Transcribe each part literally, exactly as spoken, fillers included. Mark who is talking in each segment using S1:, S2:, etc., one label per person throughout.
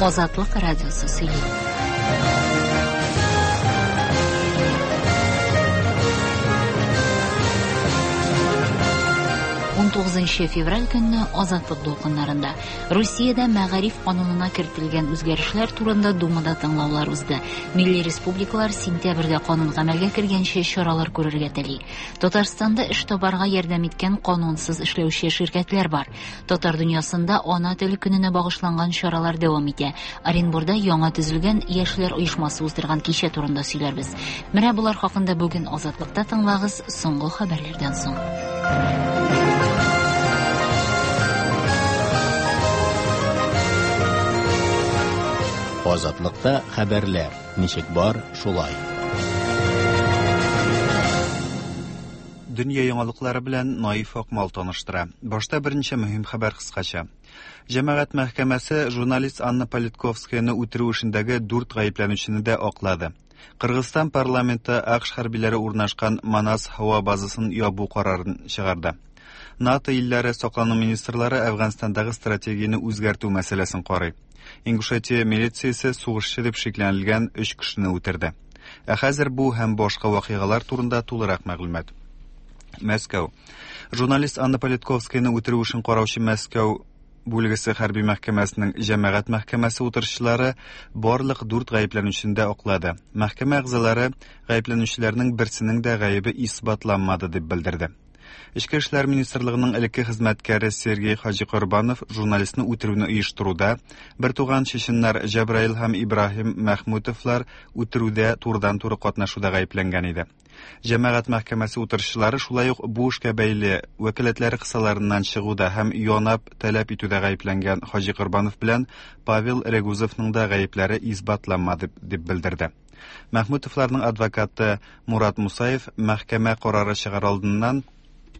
S1: Азатлык радиосы сөйли. ун тугызынчы февраль көнне Азатлык дулкыннарында Русиядә мәгариф канунына кертелгән үзгәрешләр турында Думада тыңлаулар узды. Милли республикалар сентябрьдә канун гамәлгә кергәнче чаралар күрергә тели. Татарстанда эш табарга ярдәм иткән канунсыз эшләүче ширкәтләр бар. Татар дөньясында ана теле көненә багышланган чаралар дәвам итә. Оренбурда яңа төзелгән яшьләр оешмасы уздырган кичә турында сөйләрбез. Менә болар хакында бүген Азатлыкта тыңлагыз соңгы хәбәрләрдән соң.
S2: Азатлыкта хәбәрләр ничек бар, шулай.
S3: Дөнья яңалыклары белән Наиф Акмал таныштыра. Башта берничә мөһим хәбәр кыскача. Җәмәгать мәхкәмәсе журналист Анна Политковскаяны үтерү эшендәге дүрт гаепләнүчене дә аклады. Кыргызстан парламенты АКШ хәрбиләре урнашкан Манас һава базасын ябу карарын чыгарды. НАТО илләре саклану министрлары Әфганстандагы стратегияне үзгәртү мәсьәләсен карый. Ингушетия милициясе сугышчы дип шикләнелгән өч кешене үтерде. Ә хәзер бу һәм башка вакыйгалар турында тулырак мәгълүмат. Мәскәү. Журналист Анна Политковскаяны үтерү эшен караучы Мәскәү бүлгесе хәрби мәхкәмәсенең җәмәгать мәхкәмәсе утырышчылары барлык дүрт гаепләнүчене дә аклады. Мәхкәмә әгъзалары гаепләнүчеләрнең берсенең дә гаебе исбатланмады дип белдерде. Эчке эшләр министрлыгының элекке хезмәткәре Сергей Хаҗикорбанов журналистны үтерүне оештыруда, бер туган чеченнар Җабраил һәм Ибраһим Мәхмүтовлар үтерүдә турыдан-туры катнашуда гаепләнгән иде. Җәмәгать мәхкәмәсе утырышчылары шулай ук бу эшкә бәйле вәкаләтләре кысаларыннан чыгуда һәм янап таләп итүдә гаепләнгән Хаҗикорбанов белән Павел Регузовның да гаепләре исбатланмады дип белдерде. Мәхмүтовларның адвокаты Мурат Мусаев мәхкәмә карары чыгар алдыннан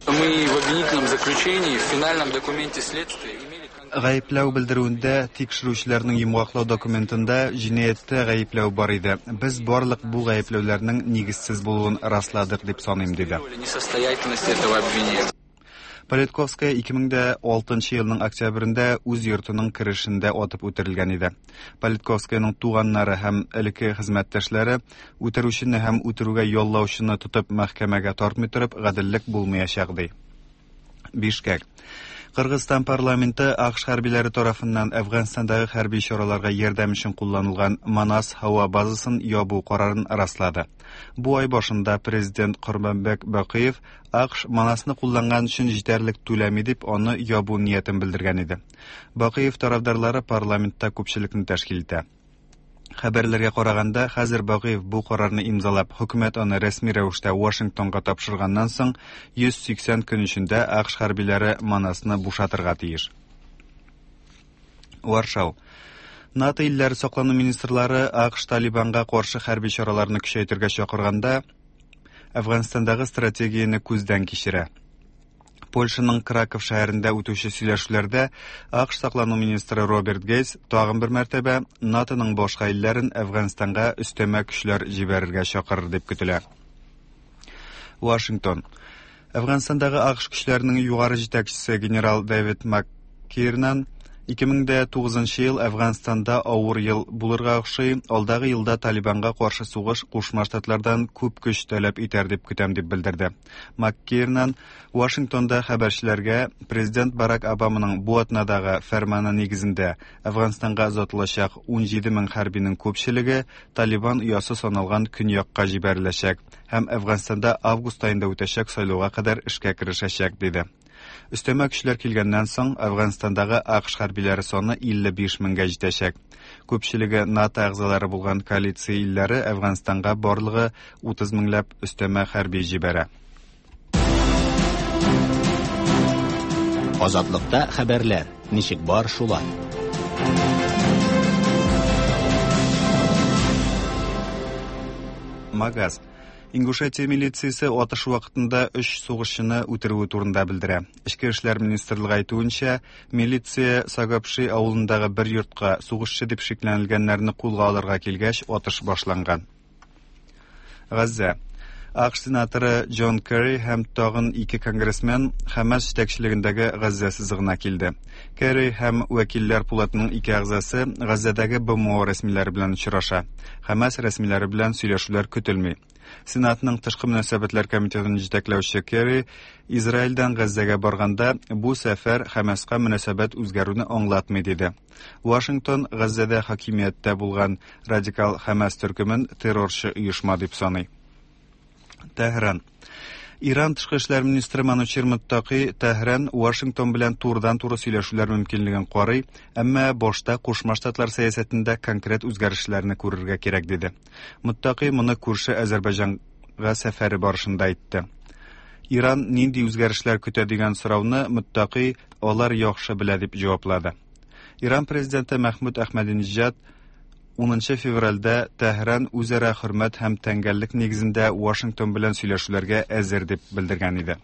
S4: Мы в обвинительном заключении, в финальном документе следствия имели...
S3: Гаепләү белдерүендә тикшерүчеләрнең йомгаклау документында җинаятьтә гаепләү бар иде. Без барлык бу гаепләүләрнең нигезсез булуын расладык дип саныйм, диде.
S4: Несостоятельность этого обвинения.
S3: Политковская ике мең дә алтынчы елның октябрендә үз йортының керешендә атып үтерелгән иде. Политковскаяның туганнары һәм элекке хезмәттәшләре үтерүчене һәм үтерүгә яллаучыны тотып мәхкәмәгә тартмый торып гаделлек булмаячак ди. Бишкек. Кыргызстан парламенты АКШ хәрбиләре тарафыннан Әфганстандагы хәрби чараларга ярдәм өчен кулланылган Манас һава базасын ябу карарын раслады. Бу ай башында президент Курманбек Бакиев АКШ Манасны кулланган өчен җитәрлек түләми дип аны ябу ниятен белдергән иде. Бакиев тарафдарлары парламентта күпчелекне тәшкил итә. Хәбәрләргә караганда, хәзер Бакиев бу карарны имзалап, хөкүмәт аны рәсми рәвештә Вашингтонга тапшырганнан соң йөз сиксән көн эчендә АКШ хәрбиләре Манасны бушатырга тиеш. Варшау. НАТО илләре саклану министрлары АКШ Талибанга каршы хәрби чараларны көчәйтергә чакырганда, Әфганстандагы стратегияне күздән кичерә. Польшаның Краков шәһәрендә үтүче сөйләшүләрдә АКШ саклану министры Роберт Гейтс тагын бер мәртәбә НАТОның башка илләрен Әфганстанга өстәмә көчләр җибәрергә чакырыр дип көтелә. Вашингтон. Әфганстандагы АКШ көчләренең югары җитәкчесе генерал Дэвид МакКирнан ике мең дә тугызынчы ел Әфганстанда авыр ел булырга охшый, алдагы елда Талибанга каршы сугыш Кушма Штатлардан күп көч таләп итәр дип көтәм дип белдерде. МакКирнан Вашингтонда хәбәрчеләргә президент Барак Обаманың бу атнадагы фәрманы нигезендә Әфганстанга озатылачак ун җиде мең хәрбинең күпчелеге Талибан оясы саналган көньякка җибәреләчәк һәм Әфганстанда август аенда үтәчәк сайлауга кадәр эшкә керешәчәк диде. Өстәмә көчләр килгәннән соң Әфганстандагы АКШ хәрбиләре саны илле биш меңгә җитәчәк. Күпчелеге НАТО әгъзалары булган коалиция илләре Әфганстанга барлыгы утыз меңләп өстәмә хәрби җибәрә.
S2: Азатлыкта хәбәрләр ничек бар, шулай.
S3: Магаз. Ингушетия милициясе атыш вакытында өч сугышчыны үтерүе турында белдерә. Эчке эшләр министрлыгы әйтүенчә, милиция Сагапши авылындагы бер йортка сугышчы дип шикләнелгәннәрне кулга алырга килгәч, атыш башланган. Газзә. А К Ш сенаторы Джон Керри һәм тагын ике конгрессмен Хәмас җитәкчелегендәге Газзә сызыгына килде. Керри һәм Вәкилләр пулатының ике әгъзасы Газзәдәге Б М О рәсмиләре белән очраша. Хәмас рәсмиләре белән сөйләшүләр көтелми. Сенатның тышкы мөнәсәбәтләр комитетын җитәкләүче Керри Израильдән Газзәгә барганда бу сәфәр Хәмаска мөнәсәбәт үзгәрүне аңлатмый диде. Вашингтон Газзәдә хакимияттә булган радикал Хәмас төркемен террорчы оешма дип саный. Тәһран. Иран тышкы эшләр министры Манучер Муттаки Тәһран Вашингтон белән турыдан-туры сөйләшүләр мөмкинлеген карый, әмма башта Кушма Штатлар сәясәтендә конкрет үзгәрешләрне күрергә кирәк диде. Муттаки моны күрше Азәрбайҗанга сәфәре барышында әйтте. Иран нинди үзгәрешләр көтә дигән сорауны Муттаки алар яхшы белә дип җаваплады. Иран президенты Мәхмүд Әхмәдинеҗад унынчы февральдә Тәһран үзара хөрмәт һәм тәңгәллек нигезендә Вашингтон белән сөйләшүләргә әзер дип белдергән иде.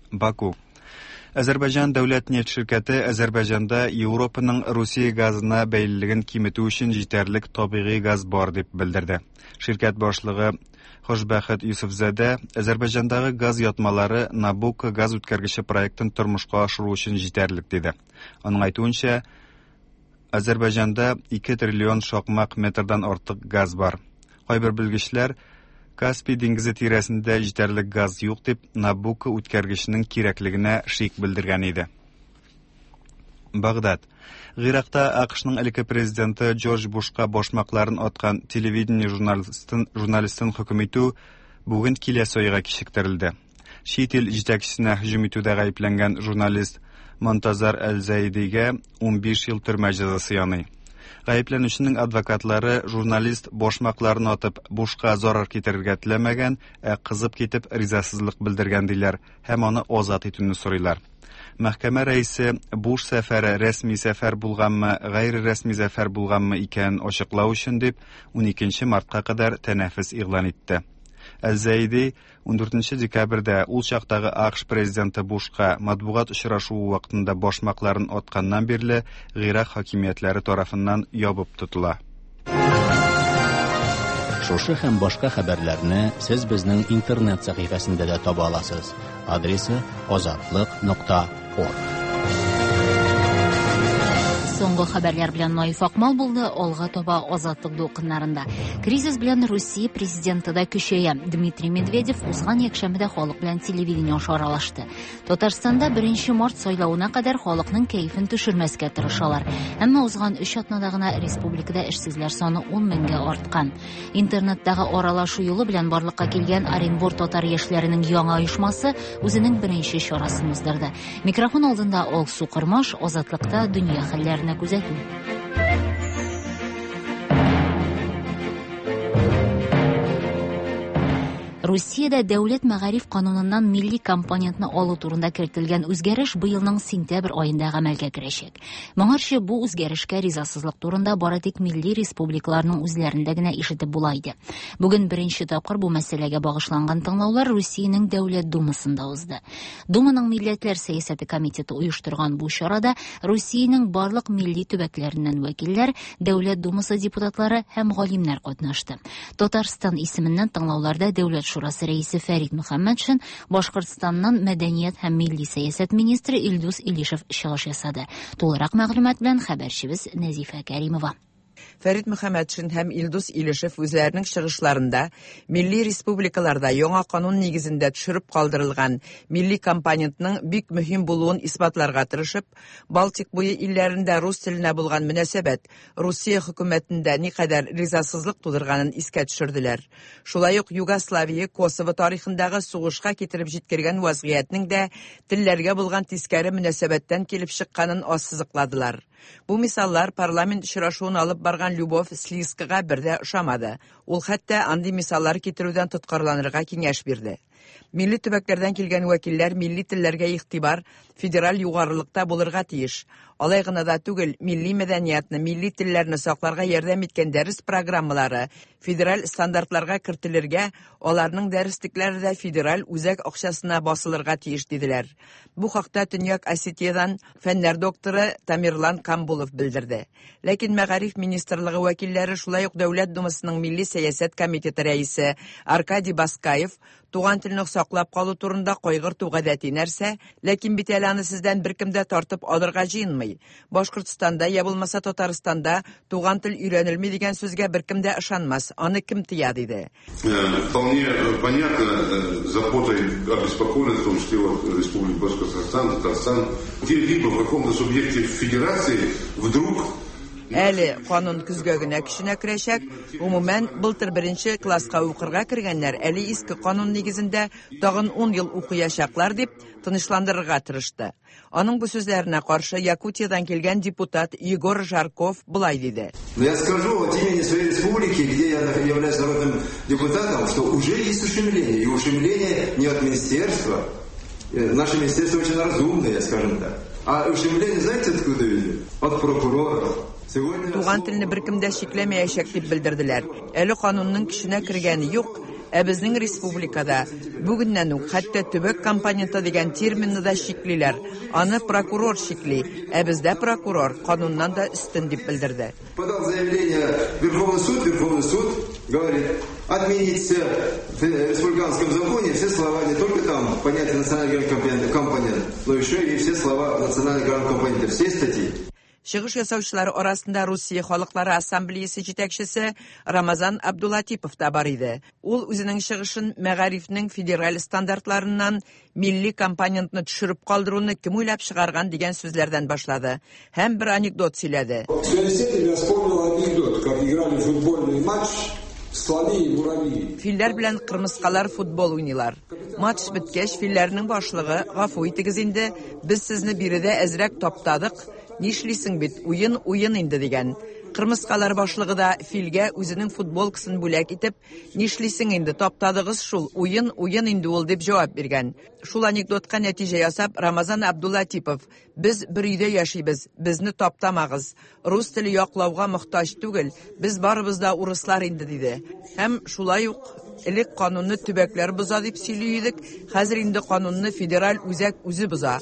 S3: Баку. Азәрбайҗан дәүләт нефть ширкәте Азәрбайҗанда Европаның Русия газына бәйлелеген киметү өчен җитәрлек табигый газ бар дип белдерде. Ширкәт башлыгы Хошбәхет Юсуфзадә Азәрбайҗандагы газ ятмалары Набукко газ үткәргече проектын тормышка ашыру өчен җитәрлек диде. Аның әйтүенчә, Азәрбайҗанда ике триллион шакмак метрдан артык газ бар. Кайбер белгечләр Каспий диңгезе тирәсендә җитәрлек газ юк дип Набукко үткәргеченең кирәклегенә шик белдергән иде. Багдад. Гыйракта А К Шның элекке президенты Джордж Бушка башмакларын аткан телевидение журналистын, журналистын хөкем итү бүген киләсе айга кичектерелде. Чит ил җитәкчесенә һөҗүм итүдә гаепләнгән журналист Монтазар Әл-Зәйдигә унбиш ел төрмә җәзасы яный. Гаепләнүченең адвокатлары журналист башмакларын атып Бушка зарар китерергә теләмәгән, ә кызып китеп ризасызлык белдергән диләр һәм аны азат итүне сорыйлар. Мәхкәмә рәисе Буш сәфәре рәсми сәфәр булганмы, гайре рәсми сәфәр булганмы икәнен ачыклау өчен дип уникенче мартка кадәр тәнәфес игълан итте. Әл-Зәйди ундүртенче декабрьдә ул чактагы А К Ш президенты Бушка матбугат очрашуы вакытында башмакларын атканнан бирле Гыйрак хакимиятләре тарафыннан ябып тотыла.
S2: Шушы һәм башка хәбәрләрне сез безнең интернет сәхифәсендә дә таба аласыз. Адресы азатлык нокта орг.
S1: Соңгы хәбәрләр белән Наиф Акмал булды, алга таба Азатлык дулкыннарында. Кризис белән Русия президенты да көчәя. Дмитрий Медведев узган якшәмбедә халык белән телевидение аша аралашты. Татарстанда беренче март сайлавына кадәр халыкның кәефен төшермәскә тырышалар. Әмма узган өч атнада гына республикада эшсезләр саны ун меңгә арткан. Интернеттагы аралашу юлы белән барлыкка килгән Оренбур татар яшьләренең яңа оешмасы үзенең беренче чарасын уздырды. Микрофон алдында Алсу Кырмаш, Азатлыкта дөнья хәлләренә күзәтү. Русиядә дәүләт мәгариф кануныннан милли компонентны алу турында кертелгән үзгәреш быелның сентябрь аенда гамәлгә керәчәк. Моңарчы бу үзгәрешкә ризасызлык турында бары тик милли республикаларның үзләрендә генә ишетеп була иде. Бүген беренче тапкыр бу мәсьәләгә багышланган тыңлаулар Русиянең Дәүләт Думасында узды. Думаның Милләтләр сәясәте комитеты оештырган бу чарада Русиянең барлык милли төбәкләреннән вәкилләр, Дәүләт Думасы депутатлары һәм галимнәр катнашты. Татарстан исеменнән тыңлауларда Дәүләт Шурасы рәисе Фәрит Мөхәммәтшин, Башкортстаннан мәдәният һәм милли сәясәт министры Илдус Илишев чыгыш ясады. Тулырак мәгълүмат белән хәбәрчебез Нәзифә Кәримова.
S5: Фәрит Мөхәммәтшин һәм Илдус Илишев үзләренең чыгышларында милли республикаларда яңа канун нигезендә төшереп калдырылган милли компонентның бик мөһим булуын исбатларга тырышып, Балтик буе илләрендә рус теленә булган мөнәсәбәт Русия хөкүмәтендә никадәр ризасызлык тудырганын искә төшерделәр. Шулай ук Югославия, Косово тарихындагы сугышка китереп җиткергән вазгыятьнең дә телләргә булган тискәре мөнәсәбәттән килеп чыкканын ассызыкладылар. Бу мисаллар парламент очрашуын алып барган Любовь Слизкага бер дә ошамады. Ул хәтта андый мисаллар китерүдән тоткарланырга киңәш бирде. Милли төбәкләрдән килгән вәкилләр милли телләргә игътибар федераль югарылыкта булырга тиеш. Алай гына да түгел, милли мәдәниятны, милли телләрне сакларга ярдәм иткән дәрес программалары федераль стандартларга кертелергә, аларның дәреслекләре дә федераль үзәк акчасына басылырга тиеш диделәр. Бу хакта Төньяк Осетиядән фәннәр докторы Тамерлан Камбулов белдерде. Ләкин Мәгариф министрлыгы вәкилләре, шулай ук Дәүләт Думасының Милли сәясәт комитеты рәисе Аркадий Баскаев туган телне саклап калу турында кайгырту гадәти нәрсә, ләкин бит әле аны сездән беркем дә тартып алырга җыенмый. Башкортстанда я булмаса Татарстанда туган тел өйрәнелми дигән сүзгә беркем дә ышанмас, аны кем тыя, диде.
S6: Вполне понятно, заботой обеспокоенность, в том числе вот Республики Башкортостан, Татарстан, где-либо в каком-то субъекте федерации вдруг
S5: Әле канун көзгә генә көченә керәчәк. Гомумән, былтыр беренче класска укырга кергәннәр әле иске канун нигезендә тагын ун ел укыячаклар, дип тынычландырырга тырышты. Аның бу сүзләренә каршы Якутиядан килгән депутат Егор Жарков болай диде.
S7: Но я скажу от имени своей республики, где я являюсь народным депутатом, что уже есть ущемление. И ущемление не от министерства. Наше министерство очень разумное, скажем так. А ущемление, знаете, откуда идет? От прокуроров.
S5: Туган телне беркем дә чикләмәячәк дип белдерделәр. Әле канунның көченә кергәне юк, ә безнең республикада бүгеннән үк хәтта төбәк компоненты дигән терминны да чиклиләр. Аны прокурор чикли, ә бездә прокурор кануннан да өстен, дип белдерде.
S7: Подал заявление в Верховный суд, Верховный суд говорит, отменить все в республиканском законе все слова, не только там понятие национальный компонент, но еще и все слова национальный компонента, все статьи.
S5: Чыгыш ясаучылар арасында Русия халыклары ассамблеясы җитәкчесе Рамазан Абдулатипов та бар иде. Ул үзенең чыгышын мәгарифнең федераль стандартларыннан милли компонентны төшереп калдыруны кем уйлап чыгарган дигән сүзләрдән башлады һәм бер анекдот сөйләде.
S8: В связи с этим я вспомнил анекдот, как играли футбольный матч слоны и муравьи.
S5: Филләр белән кырмыскалар футбол уйныйлар. Матч беткәч, филләрнең башлыгы: "Гафу итегез инде, без сезне биредә әзрәк таптадык. Нишлисең бит, уен уен инде", дигән. Кырмыскалар башлыгы да филгә үзенең футболкасын бүләк итеп, "Нишлисең инде, таптадыгыз шул, уен уен инде ул", дип җавап биргән. Шул анекдотка нәтиҗә ясап, Рамазан Абдулатипов: "Без бер өйдә яшибез, безне таптамагыз. Рус теле яклауга мохтаҗ түгел, без барыбыз да урыслар инде", диде. Һәм шулай ук элек канунны төбәкләр боза дип сөйли идек, хәзер инде канунны федераль үзәк үзе боза.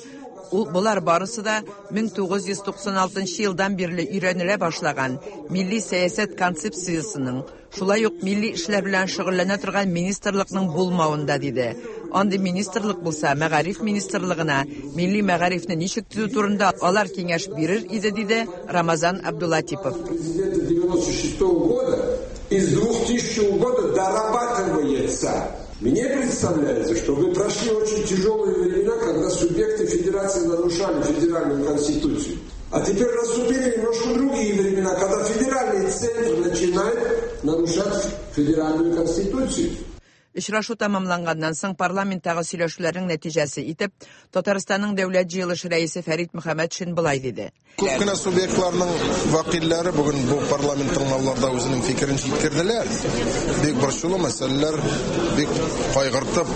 S5: Ул болар барысы да мең тугыз йөз туксан алтынчы елдан бирле өйрәнелә башлаган милли сәясәт концепциясенең, шулай ук милли эшләр белән шөгыльләнә торган министрлыкның булмавында, диде. Андый министрлык булса, мәгариф министрлыгына милли мәгарифне ничек төзү турында алар киңәш бирер иде, диде Рамазан Абдулатипов.
S8: Президента девяносто шестого года из двухтысячного года дорабатывается. Мне представляется, что вы прошли очень тяжелые времена, когда субъекты федерации нарушали федеральную конституцию. А теперь наступили немножко другие времена, когда федеральный центр начинает нарушать федеральную конституцию.
S5: Очрашу тәмамланганнан соң парламенттагы сөйләшүләрнең нәтиҗәсе итеп Татарстанның дәүләт җыелышы рәисе Фәрит Мөхәммәтшин болай диде.
S9: Күп кенә субъектларның вәкилләре бүген бу парламент тыңлауларда үзенең фикерен җиткерделәр. Бик борчулы мәсьәләләр, бик кайгыртып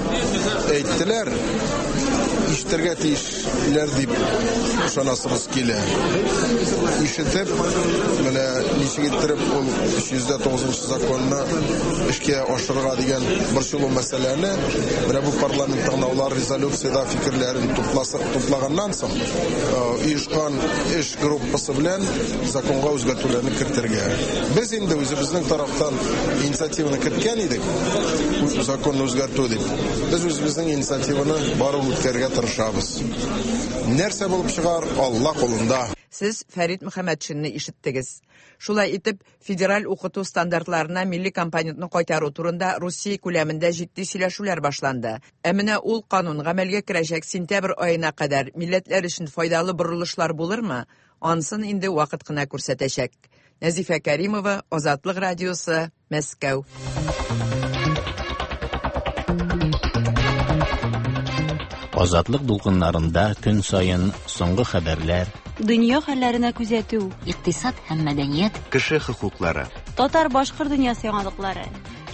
S9: әйттеләр. Ишетергә тиешләр дип ышанасыбыз килә. Ишетеп, менә ничек иттереп ул өч йөз дә тугызынчы законны эшкә ашырырга дигән борчулы мәсьәләне менә бу парламент тыңлаулар резолюциядә фикерләрен тупласа, туплаганнан соң, оешкан эш группасы белән законга үзгәртүләрне кертергә. Без инде үзебезнең тарафтан инициативаны керткән идек, законны үзгәртү дип. Без үзебезнең инициативаны барып үткәрергә тырышабыз. Нәрсә булып чыгар, Алла кулында.
S5: Сез Фәрит Мөхәммәтшинны ишеттегез. Шулай итеп, федераль укыту стандартларына милли компонентны кайтару турында Русия күләмендә җитди сөйләшүләр башланды. Ә менә ул канун гамәлгә керәчәк сентябрь аена кадәр милләтләр өчен файдалы борылышлар булырмы? Ансын инде вакыт кына күрсәтәчәк. Нәзифә Кәримова, Азатлык радиосы, Мәскәү.
S2: Азатлык дулкыннарында көн саен соңгы хәбәрләр,
S10: дөнья хәлләренә күзәтү,
S1: икътисад һәм мәдәният,
S3: кеше хокуклары,
S10: татар-башкорт дөньясы яңалыклары,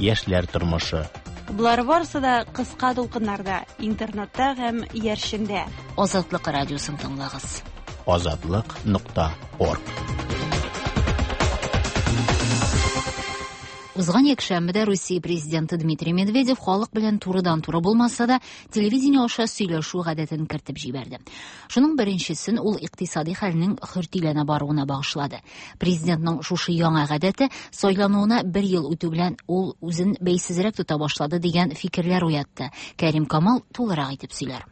S2: яшьләр тормышы.
S10: Болар барысы да кыска дулкыннарда, интернетта һәм иярчендә.
S1: Азатлык радиосын тыңлагыз.
S2: Азатлык нокта орг.
S1: Узган якшәмбедә Русия президенты Дмитрий Медведев халык белән турыдан-туры булмаса да, телевидение аша сөйләшү гадәтен кертеп җибәрде. Шуның беренчесен ул икътисади хәлнең хөртиләнә баруына багышлады. Президентның шушы яңа гадәте сайлануына бер ел үтү белән ул үзен бәйсезрәк тота башлады дигән фикерләр уятты. Кәрим Камал тулырак итеп сөйләр.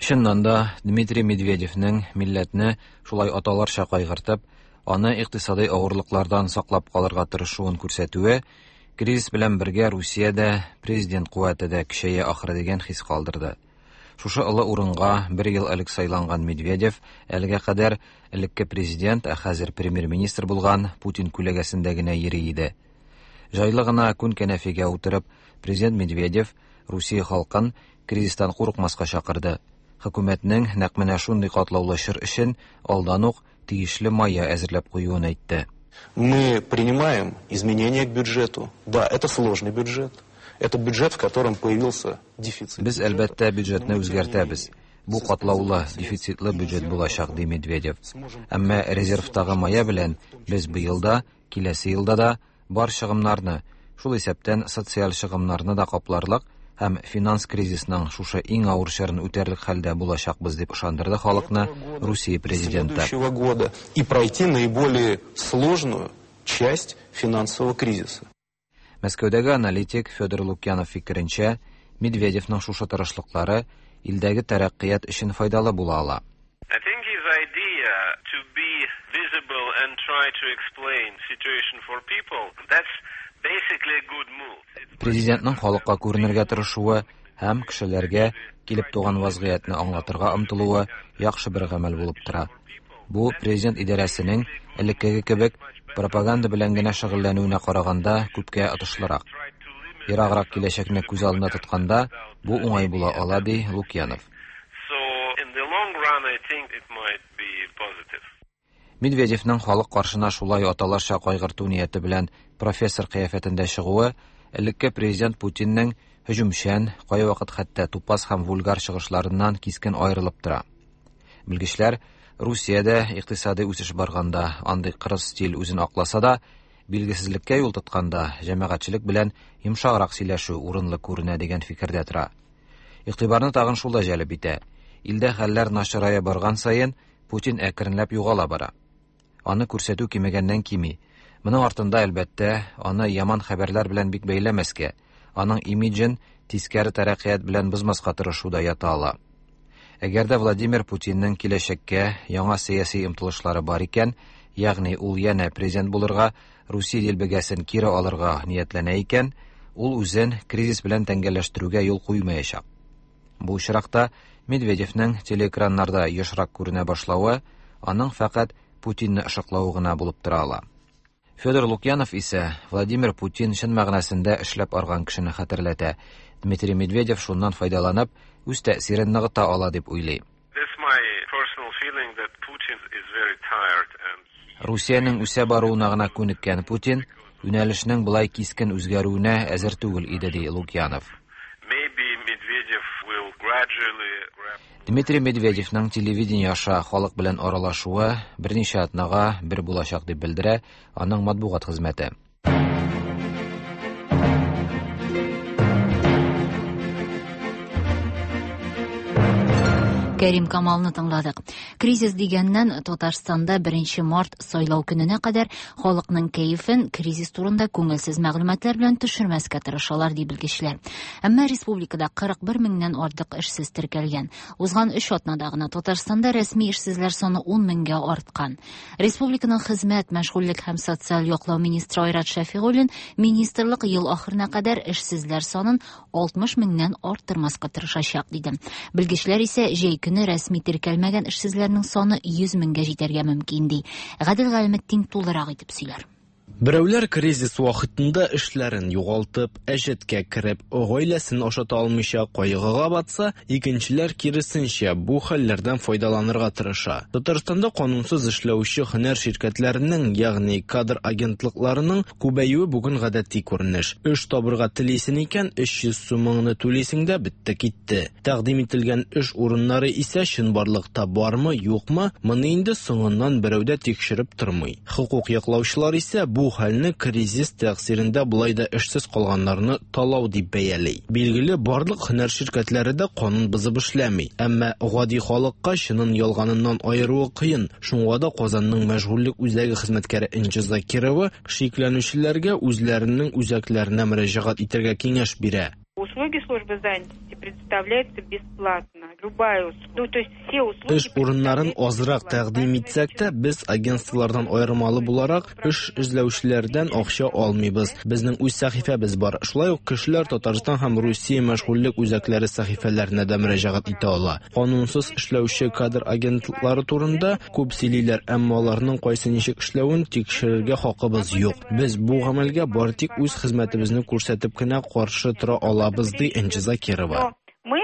S11: Чыннан да Дмитрий Медведевнең милләтне шулай аталарча кайгыртып, аны икътисади авырлыклардан саклап калырга тырышуын күрсәтүе кризис белән бергә Русиядә президент куәте дә көчәя ахыры дигән хис калдырды. Шушы олы урынга бер ел элек сайланган Медведев әлегә кадәр элекке президент, ә хәзер премьер-министр булган Путин күләгәсендә генә йөри иде. Җайлы гына күн кәнәфигә утырып, президент Медведев Русия халкын кризистан курыкмаска чакырды. Хөкүмәтнең нәкъ менә шундый катлаулы чор өчен алдан ук тиешле мая әзерләп куюын әйтте.
S12: Мы принимаем изменения к бюджету. Да, это сложный бюджет. Это бюджет, в котором появился дефицит.
S11: Без әлбәттә бюджетны үзгәртәбез. Бу катлаулы, дефицитлы бюджет булачак, ди Медведев. Әмма резервтагы мая белән без быел да, киләсе елда да бар чыгымнарны, шул исәптән социаль чыгымнарны да капларлык һәм финанс кризисының шушы иң авыр чорын үтәрлек хәлдә булачакбыз дип ышандырды халыкны Русия президенты.
S12: Года и пройти наиболее сложную часть финансового кризиса.
S11: Мәскәүдәге аналитик Федор Лукьянов фикеренчә, Медведевның шушы тырышлыклары илдәге тәрәккыят өчен файдалы була ала.
S13: I think his idea to be visible and try to explain situation for people, that's basically a good move.
S11: Президентның халыкка күренергә тырышуы һәм кешеләргә килеп туган вазгыятьне аңлатырга омтылуы яхшы бер гамәл булып тора. Бу президент идарәсенең элеккеге кебек пропаганда белән генә шөгыльләнүенә караганда күпкә отышлырак. Ераграк киләчәкне күз алдына тотканда бу уңай була ала, ди Лукьянов.
S13: So in the long run I think it might be positive.
S11: Медведевның халык каршына шулай аталарча кайгырту нияте белән профессор кыяфәтендә чыгуы элекке президент Путинның һөҗүмчән, кайвакыт хәтта тупас һәм вульгар чыгышларыннан кискен аерылып тора. Белгечләр Русиядә икътисади үсеш барганда андый кырыс стиль үзен акласа да, билгесезлеккә юл тотканда җәмәгатьчелек белән йомшаграк сөйләшү урынлы күренә дигән фикердә тора. Игътибарны тагын шул да җәлеп итә. Илдә хәлләр начарая барган саен Путин әкренләп югала бара. Аны күрсәтү кимегәннән кими. Моның артында әлбәттә аны яман хәбәрләр белән бик бәйләмәскә, аның имиджен тискәре тәрәккыят белән бозмаска тырышу да ята ала. Әгәр дә Владимир Путинның киләчәккә яңа сәяси омтылышлары бар икән, ягъни ул янә президент булырга, Русия дилбегәсен кире алырга ниятләнә икән, ул үзен кризис белән тәңгәлләштерүгә юл куймаячак. Бу очракта Медведевның телеэкраннарда ешрак күренә башлавы аның фәкать Путинны ышыклавы гына булып тора ала. Федор Лукьянов исә Владимир Путин чын мәгънәсендә эшләп арган кешене хәтерләтә. Дмитрий Медведев шуннан файдаланып, үз тәэсирен ныгыта ала дип уйлый.
S13: That's my personal feeling that Putin is very tired and
S11: Русиянең үсә баруына гына күнеккән Путин юнәлешнең болай кискен үзгәрүенә әзер түгел иде, ди Лукьянов.
S13: Maybe Medvedev will gradually grab
S11: Дмитрий Медведевның телевидение аша халык белән аралашуы берничә атнага бер булачак дип белдерә аның матбугат хезмәте.
S1: Кәрим Камалны тыңладык. Кризис дигәннән Татарстанда беренче март сайлау көненә кадәр халыкның кәефен кризис турында күңелсез мәгълүматлар белән төшермәскә тырышалар, ди белгечләр. Әмма республикада кырык бер меңнән артык эшсез теркәлгән. Узган өч атнада гына Татарстанда рәсми эшсезләр саны ун меңгә арткан. Республиканың хезмәт, мәшгульлек һәм социаль яклау министры Айрат Шәфигуллин министрлык ел ахырына кадәр эшсезләр санын алтмыш меңнән арттырмаска тырышачак, диде. Белгечләр исә җәй көне рәсми теркәлмәгән эшсезләрнең саны йөз меңгә җитәргә мөмкин, ди. Гадел Галиметдин тулырак итеп сөйләр.
S14: Берәүләр кризис вакытында эшләрен югалтып, әҗәткә кереп, гаиләсен ашата алмыйча кайгыга батса, икенчеләр киресенчә бу хәлләрдән файдаланырга тырыша. Татарстанда канунсыз эшләүче һөнәр ширкәтләренең, ягъни кадр агентлыкларының күбәюе бүген гадәти күренеш. Эш табырга телисең икән, өч йөз сумыңны түлисең дә бетте китте. Тәкъдим ителгән эш урыннары исә чынбарлыкта бармы, юкмы, моны инде соңыннан берәү дә тикшереп тормый. Хокук яклаучылар исә бу бу хәлне кризис тәэсирендә болай да эшсез калганнарны талау дип бәяли. Билгеле, барлык һөнәр ширкәтләре дә канун бозып эшләми. Әмма гади халыкка чынын ялганыннан аеруы кыен. Шуңа да Казанның мәшгульлек үзәге хезмәткәре Энҗе Закирова шикләнүчеләргә үзләренең үзәкләренә мөрәҗәгать итәргә киңәш бирә.
S15: Услуги службы занятости предоставляются бесплатно. Любая услуга. Ну, то есть все услуги...
S14: Эш урыннарын азрак тәкъдим итсәк тә, без агентстволардан аермалы буларак эш эзләүчеләрдән акча алмыйбыз. Безнең үз сәхифәбез бар. Шулай ук кешеләр Татарстан һәм Русия мәшгульлек үзәкләре сәхифәләренә дә мөрәҗәгать итә ала. Канунсыз эшләүче кадр агентлыклары турында күп сөйлиләр, әмма аларның кайсы ничек эшләвен тикшерергә хакыбыз юк. Без бу гамәлгә бары тик үз хезмәтебезне күрсәтеп кенә каршы тора алабыз, ди Энҗе Закирова.
S15: Мы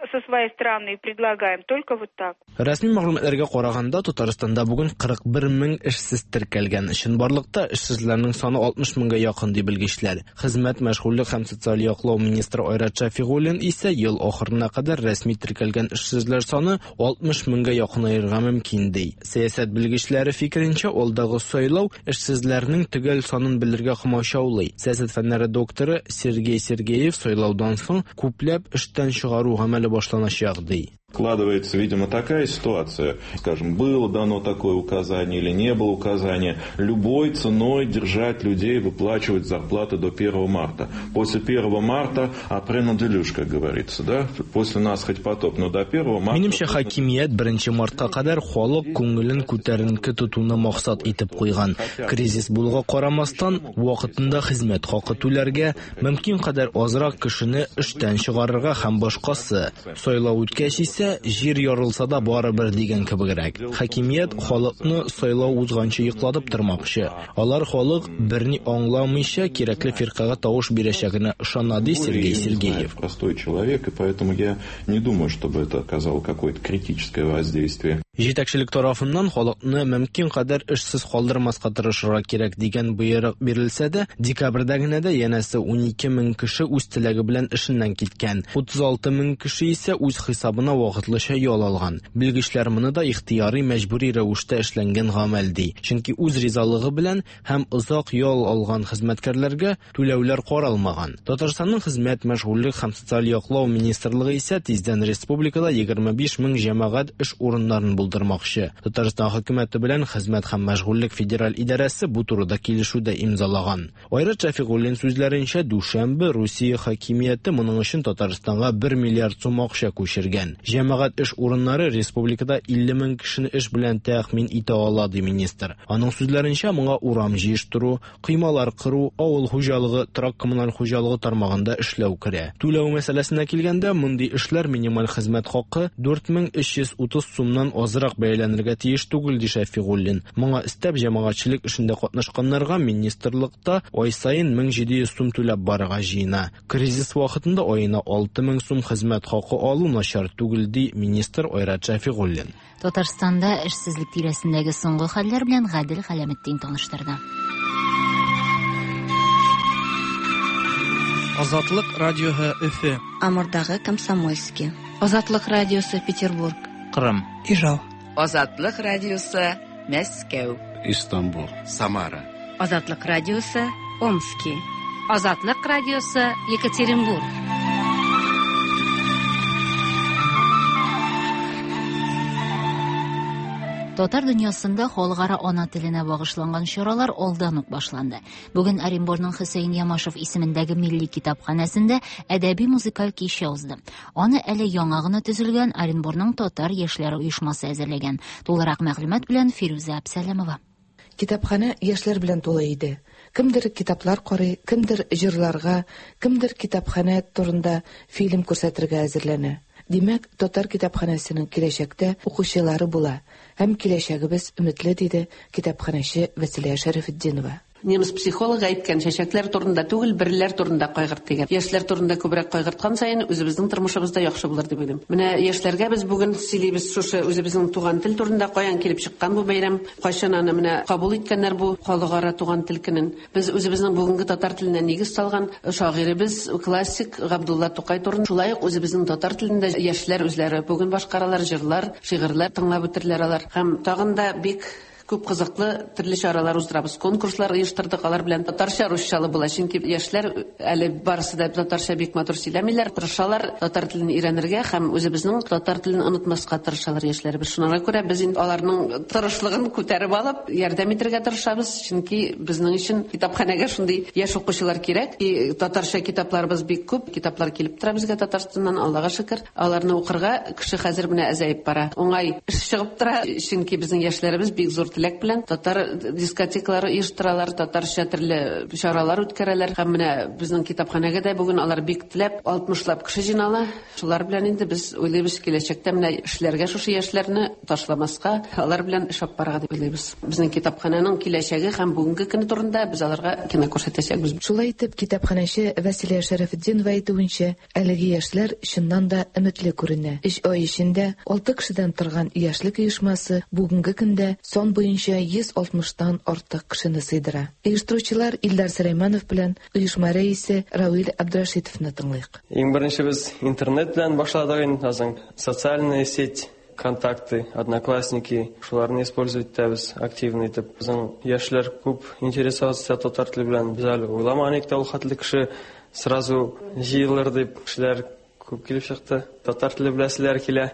S15: со своей стороны предлагаем только вот так.
S14: Рәсми мәгълүматларга караганда, Татарстанда бүген кырык бер мең эшсез теркәлгән. Чынбарлыкта эшсезләрнең саны алтмыш меңгә якын, ди белгечләр. Хезмәт, мәшгульлек һәм социаль яклау министры Айрат Шәфигуллин исә ел ахырына кадәр рәсми теркәлгән эшсезләр саны алтмыш меңгә якынаерга мөмкин, ди. Сәясәт белгечләре фикеренчә, алдагы сайлау эшсезләрнең төгәл санын белергә комачаулый. Сәясәт фәннәре докторы Сергей Сергеев сайлаудан соң күпләп эштән чыгару гамәле башланачак, ди.
S16: Складывается, видимо, такая ситуация, скажем, было дано такое указание или не было указания, любой ценой держать людей, выплачивать зарплаты до первого марта. После первого марта апрен-делюш, как говорится, да? После нас хоть потоп, но до первого марта...
S14: Минемчә, хакимият беренче мартка кадәр халык күңелен күтәренке тотуны максат итеп куйган. Кризис булуга карамастан, вакытында хезмәт хакы түләргә, мөмкин кадәр азрак кешене эштән чыгарырга һәм башкасы. Сайлау үткәч исә, җир ярылса да барыбер дигән кебегрәк. Хакимият халыкны сайлау узганчы йоклатып тормакчы. Алар халык берни аңламыйча кирәкле фиркага тавыш бирәчәгенә ышана, ди Сергей Сергеев.
S16: Простой человек, и поэтому я не думаю, чтобы это оказало какое-то критическое воздействие.
S14: Җитәкчелек тарафыннан халыкны мөмкин кадәр эшсез калдырмаска тырышырга кирәк дигән боерык бирелсә дә, декабрьдә генә дә янәсе унике мең кеше үз теләге белән эшеннән киткән. Утыз алты мең кеше исә үз хисабына вакытлыча ял алган. Белгечләр моны да ихтыяри мәҗбүри рәвештә эшләнгән гамәл ди. Чөнки үз ризалыгы белән һәм озак ял алган хезмәткәрләргә түләүләр каралмаган. Татарстанның хезмәт, мәшгульлек һәм социаль яклау министрлыгы исә тиздән республикада егерме биш мең җәмәгать эш урыннарын булдырмакчы. Татарстан хөкүмәте белән Хезмәт һәм мәшгульлек федераль идарәсе бу турыда килешү дә имзалаган. Айрат Шәфигуллин сүзләренчә, дүшәмбе Русия хакимияте моның өчен Татарстанга бер миллиард сум акча күчергән. Җәмәгать эш урыннары республикада илле мең кешене эш белән тәэмин итә ала, ди министр. Аның сүзләренчә, моңа урам җыештыру, коймалар кыру, авыл хуҗалыгы, торак-коммуналь хуҗалыгы тармагында эшләү керә. Түләү мәсьәләсенә килгәндә, мондый эшләр минималь хезмәт хакы дүрт мең өч йөз утыз сумнан азрак бәяләнергә тиеш түгел, ди Шәфигуллин. Моңа өстәп җәмәгатьчелек эшендә катнашканнарга министрлыкта ай саен мең җиде йөз сум түләп барырга җыена. Кризис вакытында аена алты мең сум хезмәт хакы алу начар түгел, ди министр Айрат Шәфигуллин.
S1: Татарстанда эшсезлек тирәсендәге соңгы хәлләр белән Гадел Хәләметдин таныштырды.
S17: Азатлык радиоһы Өфө.
S18: Амурдагы Комсомольский. Азатлык радиосы Петербург.
S17: Кырым. Ижау.
S5: Азатлык радиосы Мәскәү.
S19: Истанбул. Самара.
S18: Азатлык радиосы Омский. Азатлык радиосы Екатеринбург.
S1: Татар дөньясында халыкара ана теленә багышланган чаралар алдан ук башланды. Бүген Оренбургның Хөсәен Ямашев исемендәге милли китапханәсендә әдәби музыкаль кичә узды. Аны әле яңа гына төзелгән Оренбургның татар яшьләре оешмасы әзерләгән. Тулырак мәгълүмат белән Фирүзә Әбсәләмова.
S20: Китапханә яшьләр белән тулы иде. Кемдер китаплар карый, кемдер җырларга, кемдер китапханә турында фильм күрсәтергә әзерләнә. Димәк, татар китапханәсенең киләчәктә укучылары була һәм киләчәгебез өметле, диде китапханәче Вәсилә Шәрәфетдинова.
S21: Немец психологы әйткән, чәчәкләр турында түгел, берләр турында кайгырт дигән. Яшьләр турында күбрәк кайгырткан саен үзебезнең тормышыбызда яхшы булыр дип уйлыйм. Менә яшьләргә без бүген сөйлибез шушы үзебезнең туган тел турында, каян килеп чыккан бу бәйрәм, кайчан аны менә кабул иткәннәр бу халыкара туган тел көнен. Без үзебезнең бүгенге татар теленә нигез салган шагыйребез, классик Габдулла Тукай турында, шулай ук үзебезнең татар телендә яшьләр үзләре бүген башкаралар, җырлар, шигырьләр тыңлап үтерләр алар. Һәм тагын да бик Күп кызыклы төрле чаралар уздырабыз, конкурслар оештырдык, алар белән татарча, русчалы була. Чөнки яшьләр әле барысы да татарча бик матур сөйләмиләр, тырышалар татар телен өйрәнергә һәм үзебезнең татар телен онытмаска тырышалар яшьләребез. Шуңа күрә без инде аларның тырышлыгын күтәреп алып, ярдәм итәргә тырышабыз, чөнки безнең өчен китапханәгә шундый яшь укучылар кирәк. И татарча китапларыбыз бик күп, китаплар килеп тора безгә Татарстаннан, Аллага шөкер. Аларны укырга кеше хәзер менә әзәеп бара. Уңай эш чыгып тора, чөнки безнең яшьләребез бик зур теләк белән татар дискотекалары оештыралар, татарча төрле чаралар үткәрәләр. Һәм менә безнең китапханәгә дә бүген алар бик теләп алтмышлап кеше җыйнала. Шулар белән инде без уйлыйбыз, киләчәктә менә эшләргә шушы яшьләрне ташламаска, алар белән эш алып барырга дип уйлыйбыз. Безнең китапханәнең киләчәге һәм бүгенге көне турында без аларга кино күрсәтәчәкбез.
S20: Шулай итеп, китапханәче Вәсилә Шәрәфетдинова әйтүенчә, әлеге яшьләр чыннан да өметле күренә. Өч ай эчендә алты кешедән торган яшьлек оешмасы бүгенге көндә сан буенча йөз алтмыштан артык кешене сыйдыра. Оештыручылар Илдар Сөләйманов белән оешма рәисе Равил Абдрашитовны тыңлыйк.
S4: Иң беренче без интернет белән башладык инде, азын социальная сеть, контакты, одноклассники, шуларны использовать итәбез активно итеп. Безнең яшьләр күп интересоваться татар теле белән. Без әле уйламаган идек тә ул хәтле кеше сразу җыелыр дип, кешеләр күп килеп чыкты. Татар теле беләселәр килә.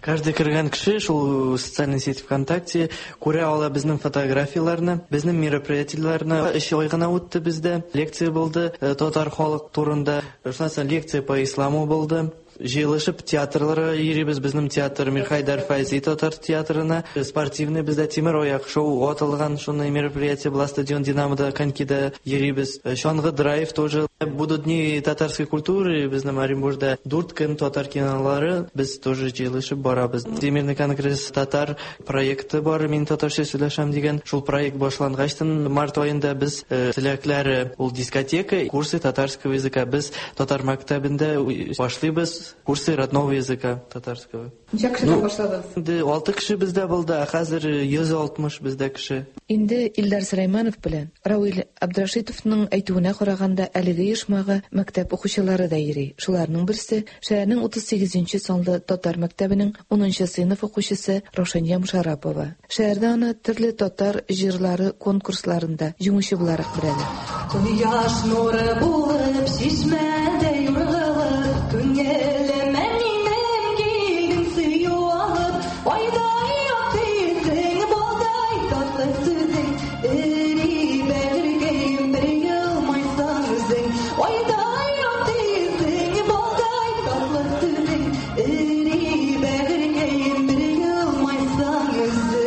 S17: Каждый кергән кеше шул социальный сеть ВКонтакте күрә ала безнең фотографияләрне, безнең мероприятиеләрне. Өч ай гына үтте бездә. Лекция булды татар халык турында. Шуннан соң лекция по исламу булды. Җыелышып театрларга йөрибез. Безнең театр Мирхайдар Файзи татар театрына, спортивный бездә Тимер аяк шоу аталган шундый мероприятие була, стадион Динамода, конькида йөрибез. Чаңгы драйв тоже. Будут дни татарской культуры безнең Оренбургда. Дүрт көн татар кинолары без тоже җыелышып барабыз. Всемирный конгресс татар проекты бар, мин татарча сөйләшәм дигән. Шул проект башлангачтан март аенда без теләкләре ул дискотека, курсы татарского языка. Без татар мәктәбендә башлыйбыз курсы родного языка татарского.
S20: Ничә кешедән башладыгыз?
S17: Инде алты кеше бездә булды, ә хәзер йөз алтмыш бездә кеше.
S20: Инде Илдар Сөләйманов белән Равил Абдрашитовның әйтүенә караганда, әлеге оешмага мәктәп укучылары да йөри. Шуларның берсе шәһәрнең утыз сигезенче санлы татар мәктәбенең унынчы сыйныф укучысы Раушания Мушарапова. Шәһәрдә аны төрле татар җырлары конкурсларында җиңүче буларак беләләр.
S22: Кояш нуры булып чишмәдә юргылып, күңелемә минем килдең сөю алып, айдай якты йөзең, балдай татлы сүзең, эри бәгырькәем, бер елмайсаң үзең. Айдай якты йөзең, балдай татлы сүзең, эри бәгырькәем, бер елмайсаң үзең.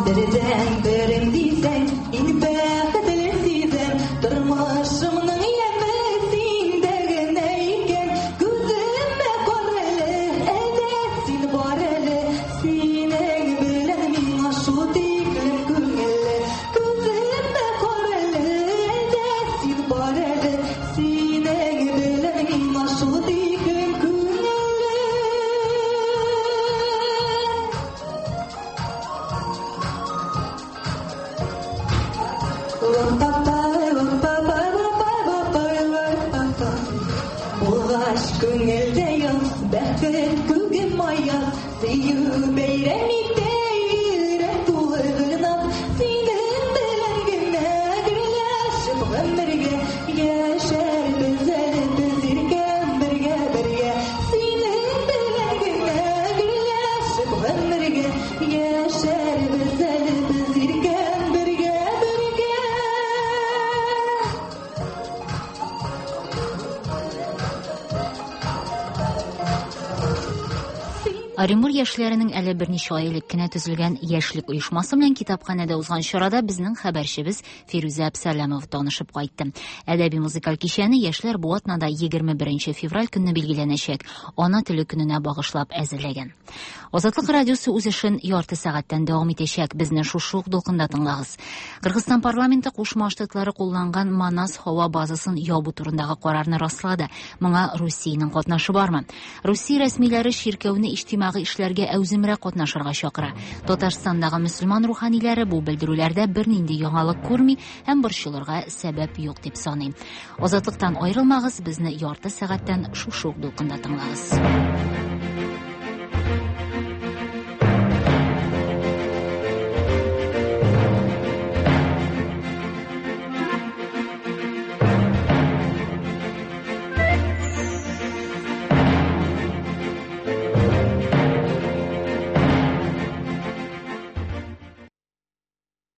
S22: Бердән берем дисәң, иң бәхетле сизәм, тормышымның яме синдә генә икән. Күземә кара әле, әнә син бар әле, синең белән миңа шул тиклем күңелле. Күземә кара әле, әнә син бар әле, синең белән миңа шул тиклем күңелле. Булгач күңелдә яз, бәхет күгем аяз, сөю бәйрәм итә йөрәк тулы гөлназ. Синең белән генә гөрләшеп гомергә яшәрбез әле без иркән бергә бергә. Синең белән генә гөрләшеп гомергә яшәрбез әле без иркән бергә бергә.
S1: Оренбург яшьләренең әле берничә ай элек кенә төзелгән яшьлек оешмасы белән китапханәдә узган чарада безнең хәбәрчебез Фирүзә Әбсәләмова танышып кайтты. Әдәби музыкаль кичәне яшьләр бу атнада егерме беренче февраль көнне билгеләнәчәк Ана теле көненә багышлап әзерләгән. Азатлык радиосы үз эшен ярты сәгатьтән дәвам итәчәк. Безне шушы ук дулкында тыңлагыз. Кыргызстан парламенты Кушма Штатлары кулланган Манас һава базасын ябу турындагы карарны раслады. Моңа Русиянең катнашы бармы? Русия рәсмиләре чиркәүне иҗтимагый юлындагы эшләргә әүземрәк катнашырга чакыра. Татарстандагы мөселман руханиләре бу белдерүләрдә бернинди яңалык күрми һәм борчылырга сәбәп юк дип саный. Азатлыктан аерылмагыз, безне ярты сәгатьтән шушы ук дулкында тыңлагыз.